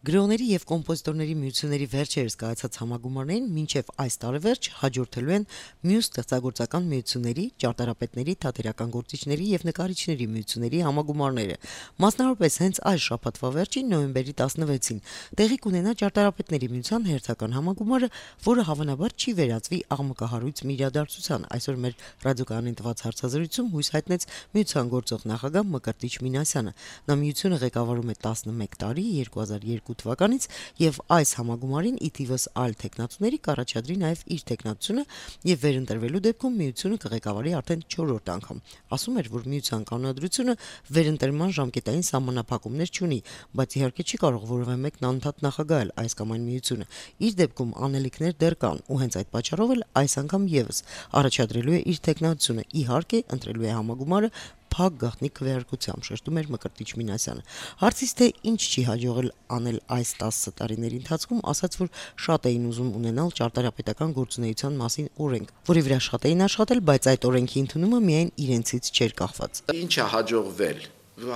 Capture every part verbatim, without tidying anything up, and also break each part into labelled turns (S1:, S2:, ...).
S1: Գրողների եւ կոմպոզիտորների միությունների վերջերս կայացած համագումարներին մինչեւ այս տարեվերջ հաջորդելու են մյուս ստեղծագործական միությունների, ճարտարապետների, թատերական գործիչների եւ նկարիչների միությունների համագումարները։ Մասնավորապես հենց այս շաբաթվա վերջին նոյեմբերի տասնվեցին տեղի կունենա ճարտարապետների միության հերթական համագումարը, որը հավանաբար չի վերածվի աղմկահարույց մի իրադարձության։ Այսօր մեր ռադիոկայանին տված հարցազրույցում հույս հայտնեց միության գործող նախագահ Մկրտիչ Մինասյանը։ Նա միությունը ղեկավարում է տասնմեկ տարի, երկու հազար երկու թվականից եւ այս համագումարին ի թիվս այլ տեխնացուների կառաջադրի նաեւ իր տեխնացությունը եւ վերընտրվելու դեպքում միությունը կղեկավարի արդեն չորրորդ անգամ։ Ասում էր, որ միության կանոնադրությունը վերընտրման ժամկետային սահմանափակումներ չունի, բայց իհարկե չի կարող որևէ մեկն անընդհատ նախագահել այս կամ այն միությունը։ Իր դեպքում անելիքներ դեռ կան ու հենց այդ պատճառով էլ այս անգամ եւս առաջադրելու է իր տեխնացությունը, իհարկե ընտրելու է համագումարը փակ գաղտնի քվեարկությամբ, շեշտում էր Մկրտիչ Մինասյանը։ Հարցից թե ինչ չի հաջողել անել այս տասը տարիների ընթացքում, ասաց, որ շատ էին ուզում ունենալ ճարտարապետական գործունեության մասին օրենք, որի վրա շատ էին աշխատել, բայց այդ օրենքի ընդունումը միայն իրենցից չէր կախված։
S2: Ինչ է հաջողվել։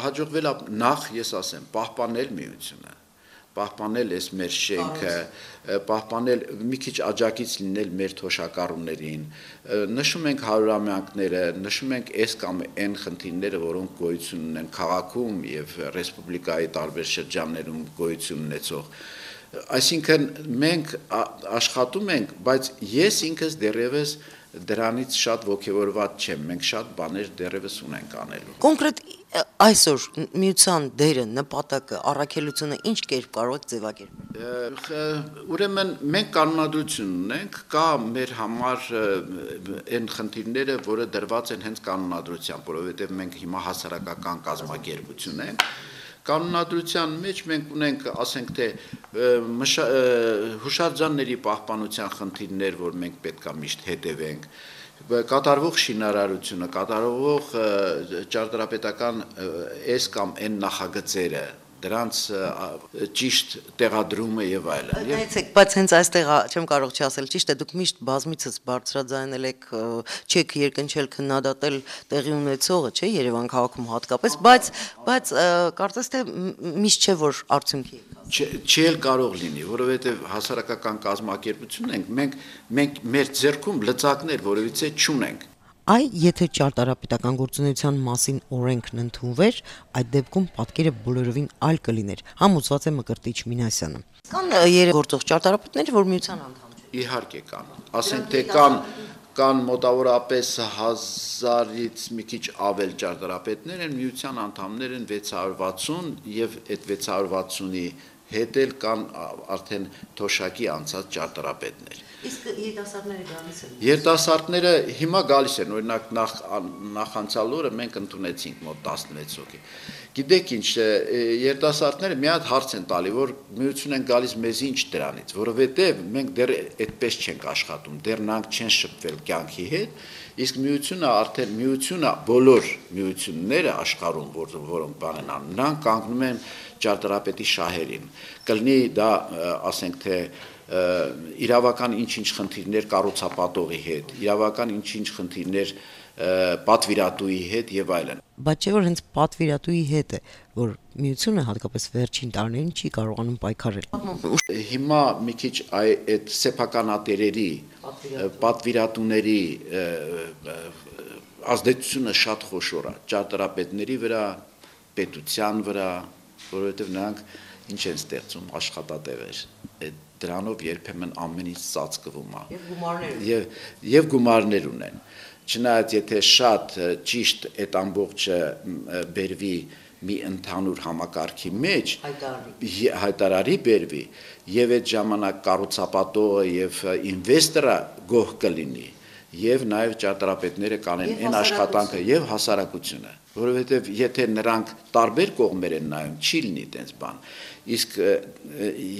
S2: Հաջողվել է նախ, ես ասեմ, պահպանել միությունը, պահպանել այս մեր շենքը, պահպանել մի քիչ աջակից լինել մեր թոշակառուներին, նշում ենք հարյուրամյակները, նշում ենք այս կամ այն խնդիրները, որոնք գոյություն ունեն քաղաքում եւ ռեսպուբլիկայի տարբեր շրջաններում գոյություն ունեցող։ Այսինքն մենք աշխատում ենք, բայց ես ինքս դեռևս դրանից շատ ոգևորված չեմ, մենք շատ բաներ դեռևս ունենք անելու։
S1: Կոնկրետ այսօր միության դերը, նպատակը, առաքելությունը ինչ կերպ կարող եք ձևակերպել։
S2: Ուրեմն մենք կանոնադրություն ունենք, կա մեր համար այն խնդիրները, որը դրված են հենց կանոնադրությամբ, որովհետև մենք հիմա հասարակական կազմակերպություն ենք։ Կանոնադրության մեջ մենք ունենք, ասենք թե հուշարձանների պահպանության խնդիրներ, որ մենք պետք է միշտ հետևենք, կատարվող շինարարությունը, կատարվող ճարտարապետական այս կամ այն նախագծերը, դրանց ճիշտ տեղադրումը եւ այլն։
S1: Նայեցեք, բայց հենց այստեղ չեմ կարող չասել, ճիշտ է, դուք միշտ բազմիցս բարձրաձայնել եք, չեք երկնչել քննադատել տեղի ունեցողը, չէ, Երևան քաղաքում հատկապես, բայց բայց կարծես թե միշտ չէ, որ արդյունքի
S2: չի էլ կարող լինի, որովհետեւ հասարակական կազմակերպություն ենք, մենք մենք մեր ձեռքում լծակներ որևիցե չունենք։
S1: Այ եթե ճարտարապետական գործունեության մասին օրենքն ընդունվեր, այդ դեպքում պատկերը բոլորովին այլ կլիներ, համոզված է Մկրտիչ Մինասյանը։ Կան երեք գործող ճարտարապետներ, որ միության անդամ չեն։
S2: Իհարկե կան։ Ասենք թե կան կան մոտավորապես հազարից մի քիչ ավել ճարտարապետներ են, միության անդամներ են վեց հարյուր վաթսուն եւ այդ վեց հարյուր վաթսունի հետ էլ կան արդեն թոշակի անցած ճարտարապետներ։
S1: Իսկ երիտասարդները գալիս են։
S2: Երիտասարդները հիմա գալիս են, օրինակ նախ նախանցյալ օրը մենք ընդունեցինք մոտ տասնվեց հոգի։ Գիտեք ինչ, երիտասարդները մի հատ հարց են տալի, որ միություն են գալիս մեզ ինչ դրանից, որովհետև մենք դեռ այդպես չենք աշխատում, դեռ նրանք չեն շփվել կյանքի հետ, իսկ միությունը արդեն միությունը բոլոր միությունները աշխարհում, որոնք բան են անում, նրանք կանգնում են ճարտարապետի շահերին։ Կլինի դա, ասենք թե իրավական ինչ-ինչ խնդիրներ կառուցապատողի հետ, իրավական ինչ-ինչ խնդիրներ պատվիրատուի հետ եւ այլն։
S1: Բայց չէ որ հենց պատվիրատուի հետ է, որ միությունը հատկապես վերջին տարիներին չի կարողանում պայքարել։
S2: Հիմա մի քիչ այդ սեփականատերերի, պատվիրատուների ազդեցությունը շատ խոշոր է ճարտարապետների վրա, պետության վրա, որովհետեւ նրանք ինչ են ստեղծում աշխատատեղեր։ Դրանով երբեմն ամեն ինչ ծածկվում է եւ եւ գումարներ ունեն չնայած եթե շատ ճիշտ այդ ամբողջը բերվի մի ընդհանուր համակարգի մեջ հայտարարի բերվի եւ այդ ժամանակ կառուցապատողը եւ ինվեստորը գոհ կլինի եւ նաեւ ճարտարապետները կանեն այն աշխատանքը եւ հասարակությունը որովհետեւ եթե նրանք տարբեր կողմեր են նայում չի լինի այդպես բան իսկ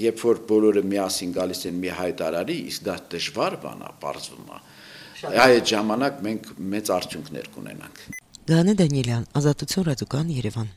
S2: երբ որ բոլորը միասին գալիս են մի հայտարարի իսկ դա դժվար բան է բարձվում է այդ ժամանակ մենք մեծ արդյունքներ կունենանք
S1: Գանե Դանիելյան Ազատություն ռադիոկայան Երևան